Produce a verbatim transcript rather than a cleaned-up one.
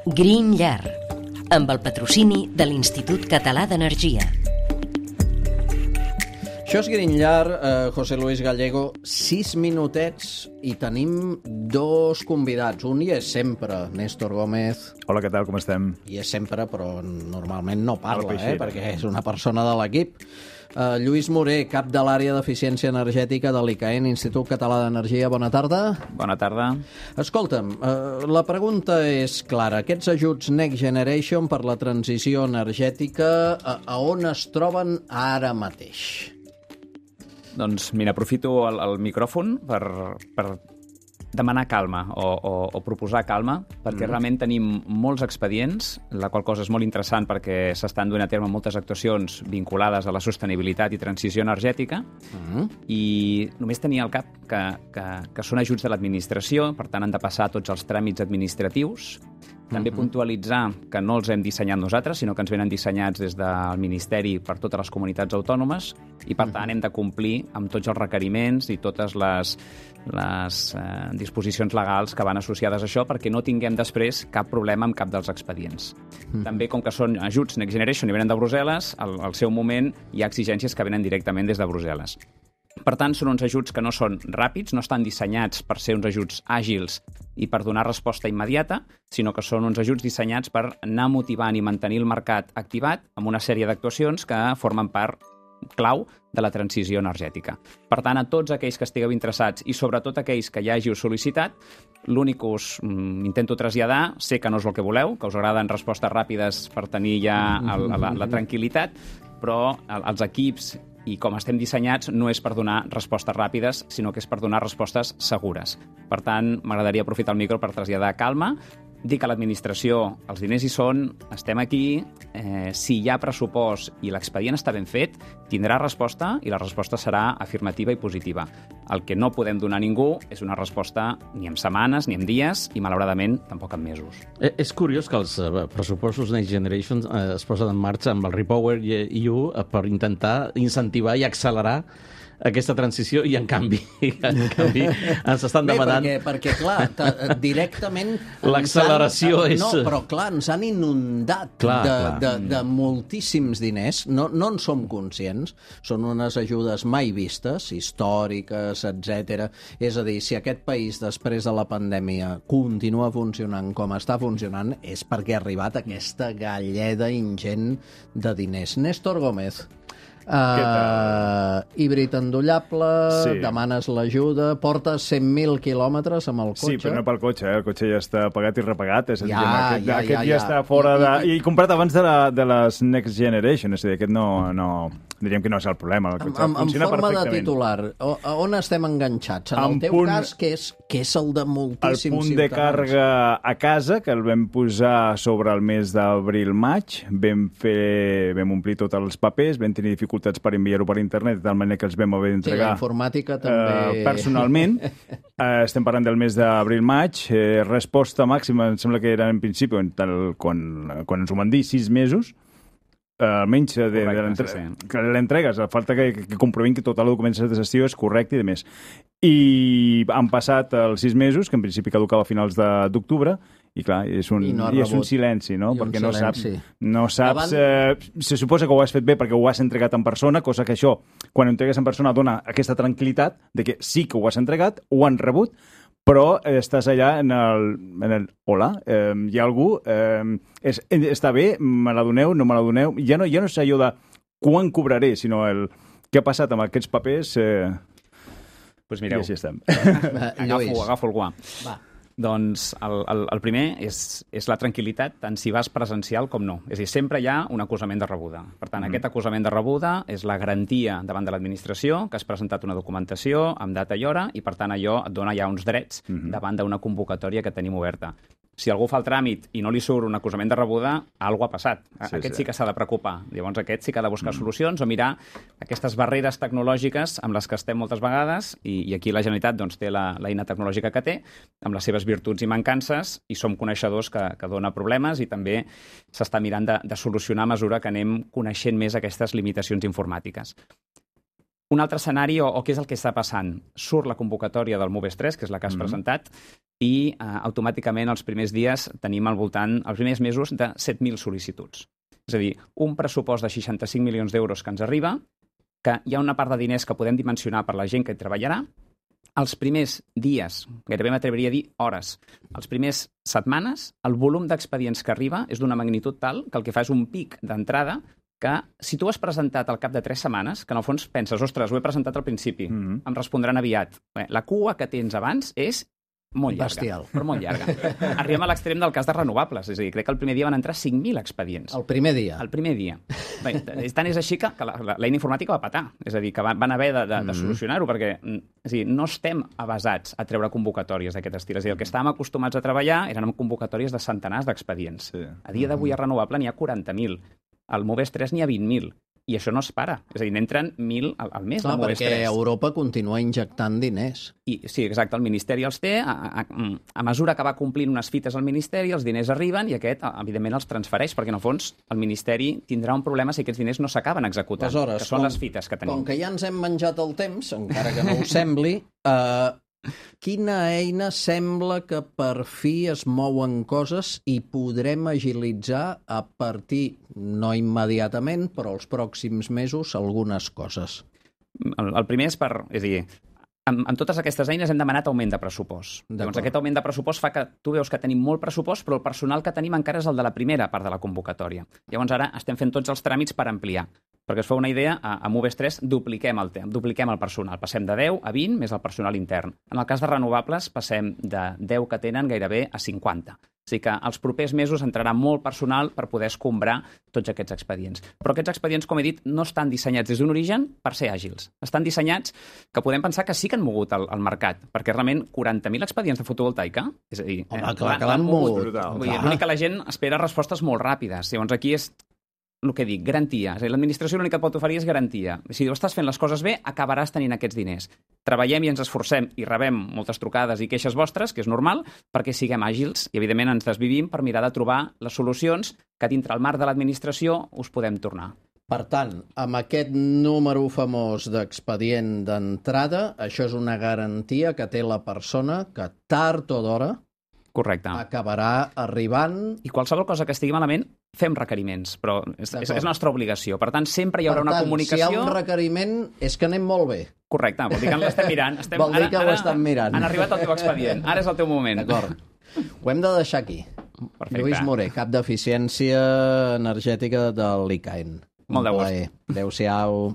Green Llar, amb el patrocini de l'Institut Català d'Energia. Això és Green Llar, eh, José Luis Gallego, sis minutets i tenim dos convidats. Un hi és sempre, Néstor Gómez. Hola, què tal, com estem? Hi és sempre, però normalment no parla, No, eh, perquè és una persona de l'equip. Uh, Lluís Moré, cap de l'àrea d'eficiència energètica de l'I C A E N, Institut Català d'Energia. Bona tarda. Bona tarda. Escolta'm, uh, la pregunta és clara. Aquests ajuts Next Generation per la transició energètica, a, a on es troben ara mateix? Doncs mira, aprofito el, el micròfon per, per demanar calma o, o, o proposar calma, perquè mm. realment tenim molts expedients, la qual cosa és molt interessant perquè s'estan duent a terme moltes actuacions vinculades a la sostenibilitat i transició energètica, mm. i només tenia al cap que, que, que són ajuts de l'administració, per tant han de passar tots els tràmits administratius. També uh-huh. puntualitzar que no els hem dissenyat nosaltres, sinó que ens venen dissenyats des del Ministeri per totes les comunitats autònomes i, per tant, hem de complir amb tots els requeriments i totes les, les eh, disposicions legals que van associades a això perquè no tinguem després cap problema amb cap dels expedients. Uh-huh. També, com que són ajuts Next Generation i venen de Brussel·les, al, al seu moment hi ha exigències que venen directament des de Brussel·les. Per tant, són uns ajuts que no són ràpids, no estan dissenyats per ser uns ajuts àgils i per donar resposta immediata, sinó que són uns ajuts dissenyats per anar motivant i mantenir el mercat activat amb una sèrie d'actuacions que formen part clau de la transició energètica. Per tant, a tots aquells que estigueu interessats i sobretot aquells que ja hàgiu sol·licitat, l'únic que us mm, intento traslladar, sé que no és el que voleu, que us agraden respostes ràpides per tenir ja el, la, la tranquil·litat, però els equips i com estem dissenyats no és per donar respostes ràpides, sinó que és per donar respostes segures. Per tant, m'agradaria aprofitar el micro per traslladar calma, dir que l'administració, els diners hi són, estem aquí, eh, si hi ha pressupost i l'expedient està ben fet, tindrà resposta i la resposta serà afirmativa i positiva. El que no podem donar a ningú és una resposta ni en setmanes ni en dies i, malauradament, tampoc en mesos. Eh, és curiós que els eh, pressupostos Next Generation eh, es posen en marxa amb el Repower E U eh, per intentar incentivar i accelerar aquesta transició i, en canvi, en canvi ens estan demanant... Bé, perquè, perquè clar, ta, directament... L'acceleració han, és... No, però clar, ens han inundat clar, de, clar. De, de moltíssims diners. No, no en som conscients. Són unes ajudes mai vistes, històriques, etcètera. És a dir, si aquest país, després de la pandèmia, continua funcionant com està funcionant, és perquè ha arribat aquesta galleda ingent de diners. Néstor Gómez. Uh, híbrid endollable, sí. Demanes l'ajuda, portes cent mil quilòmetres amb el cotxe. Sí, però no pel cotxe, eh? El cotxe ja està pagat i repagat. És a dir, ja, aquest, ja, aquest ja, ja, ja està fora I, de... I, I comprat abans de, la, de les Next Generation, és a dir, aquest no... no... diríem que no és el problema. El cotxe en, en funciona forma de perfectament. titular, o, a on estem enganxats? En, en el teu punt, cas, que és, que és el de moltíssims ciutadans. El punt ciutadans. de càrrega a casa, que el vam posar sobre el mes d'abril-maig, vam, fer, vam omplir tots els papers, vam tenir dificultats per enviar-ho per internet, de tal manera que els vam haver d'entregar... Sí, la informàtica també... Eh, personalment. eh, estem parlant del mes d'abril-maig. Eh, resposta màxima, em sembla que era en principi, tal, quan, quan ens ho van dir, sis mesos, Uh, almenys de, correcte, de l'entre... sí, sí. que l'entregues, la falta que, que comprovin que tota la documentació de gestió és correcta i de més. I han passat els sis mesos, que en principi caducava a finals d'octubre, i clar, és un, I no i és un silenci, no? I perquè un no silenci. saps, no saps Davant... eh, se suposa que ho has fet bé perquè ho has entregat en persona, cosa que això, quan ho entregues en persona, dona aquesta tranquil·litat de que sí que ho has entregat, ho han rebut, però estàs allà en el... En el hola, eh, hi ha algú... Eh, és, està bé, me la doneu, no me la doneu... Ja no, ja no és allò de quan cobraré, sinó el què ha passat amb aquests papers... Eh, pues mireu, i així estem. agafo, agafo el guà. Va. Doncs el, el, el primer és, és la tranquil·litat, tant si vas presencial com no. És a dir, sempre hi ha un acusament de rebuda. Per tant, mm. aquest acusament de rebuda és la garantia davant de l'administració que has presentat una documentació amb data i hora i, per tant, allò et dona ja uns drets mm -hmm. davant d'una convocatòria que tenim oberta. Si algú fa el tràmit i no li surt un acusament de rebuda, alguna cosa ha passat. Sí, aquest sí, sí que s'ha de preocupar. Llavors aquest sí que ha de buscar mm. solucions o mirar aquestes barreres tecnològiques amb les que estem moltes vegades i, i aquí la Generalitat doncs, té la, l'eina tecnològica que té, amb les seves virtuts i mancances, i som coneixedors que, que dona problemes i també s'està mirant de, de solucionar a mesura que anem coneixent més aquestes limitacions informàtiques. Un altre escenari, o, o què és el que està passant? Surt la convocatòria del Moves tres, que és la que has mm-hmm. presentat, i eh, automàticament els primers dies tenim al voltant, els primers mesos, de set mil sol·licituds. És a dir, un pressupost de seixanta-cinc milions d'euros que ens arriba, que hi ha una part de diners que podem dimensionar per la gent que hi treballarà. Els primers dies, gairebé m'atreviria a dir hores, els primers setmanes, el volum d'expedients que arriba és d'una magnitud tal que el que fa és un pic d'entrada que si tu has presentat al cap de tres setmanes, que en el fons penses, ostres, ho he presentat al principi, mm-hmm. em respondran aviat. Bé, la cua que tens abans és molt llarga, Bestial. però molt llarga. Arribem a l'extrem del cas de renovables, és a dir, crec que el primer dia van entrar cinc mil expedients. El primer dia? El primer dia. Bé, tant és així que, que l'eina informàtica va patar, és a dir, que van, van haver de, de, de solucionar-ho, perquè és a dir, no estem avasats a treure convocatòries d'aquest estil. És a dir, el que estàvem acostumats a treballar eren amb convocatòries de centenars d'expedients. Sí. A dia d'avui a renovable n'hi ha quaranta mil. Al Moves tres n'hi ha vint mil. I això no es para. És a dir, n'entren mil al, al mes. Clar, perquè Europa continua injectant diners. I, sí, exacte, el Ministeri els té. A, a, a mesura que va complint unes fites al Ministeri, els diners arriben i aquest, evidentment, els transfereix, perquè, en el fons, el Ministeri tindrà un problema si aquests diners no s'acaben executant, Aleshores, que són com, les fites que tenim. Com que ja ens hem menjat el temps, encara que no ho sembli, eh, quina eina sembla que per fi es mouen coses i podrem agilitzar a partir, no immediatament, però els pròxims mesos, algunes coses? El, el primer és per... És a dir, amb, amb totes aquestes eines hem demanat augment de pressupost. Llavors, aquest augment de pressupost fa que tu veus que tenim molt pressupost, però el personal que tenim encara és el de la primera part de la convocatòria. Llavors, ara estem fent tots els tràmits per ampliar. Perquè es fa una idea, a, a Moves tres dupliquem el, dupliquem el personal. Passem de deu a vint més el personal intern. En el cas de renovables passem de deu que tenen gairebé a cinquanta. O sigui que els propers mesos entrarà molt personal per poder escombrar tots aquests expedients. Però aquests expedients, com he dit, no estan dissenyats des d'un origen per ser àgils. Estan dissenyats que podem pensar que sí que han mogut el, el mercat, perquè realment quaranta mil expedients de fotovoltaica, és a dir... Home, eh, clar, que l'han mogut. L'únic que la gent espera respostes molt ràpides. Llavors aquí és el que dic, garantia. És a dir, l'administració l'únic que et pot oferir és garantia. Si ho estàs fent les coses bé, acabaràs tenint aquests diners. Treballem i ens esforcem i rebem moltes trucades i queixes vostres, que és normal, perquè siguem àgils i, evidentment, ens desvivim per mirar de trobar les solucions que dintre el marc de l'administració us podem tornar. Per tant, amb aquest número famós d'expedient d'entrada, això és una garantia que té la persona que tard o d'hora Correcte. Acabarà arribant... I qualsevol cosa que estigui malament, fem requeriments, però és, és, és nostra obligació. Per tant, sempre hi haurà per una tant, comunicació... si hi ha un requeriment, és que anem molt bé. Correcte, vol dir que l'estem mirant. Estem... Vol dir ara, que ara, ho estem mirant. Han arribat al teu expedient, ara és el teu moment. D'acord. Ho hem de deixar aquí. Perfecte. Lluís Moré, cap d'eficiència energètica de l'I C A E N. Molt de gust. Adéu-siau.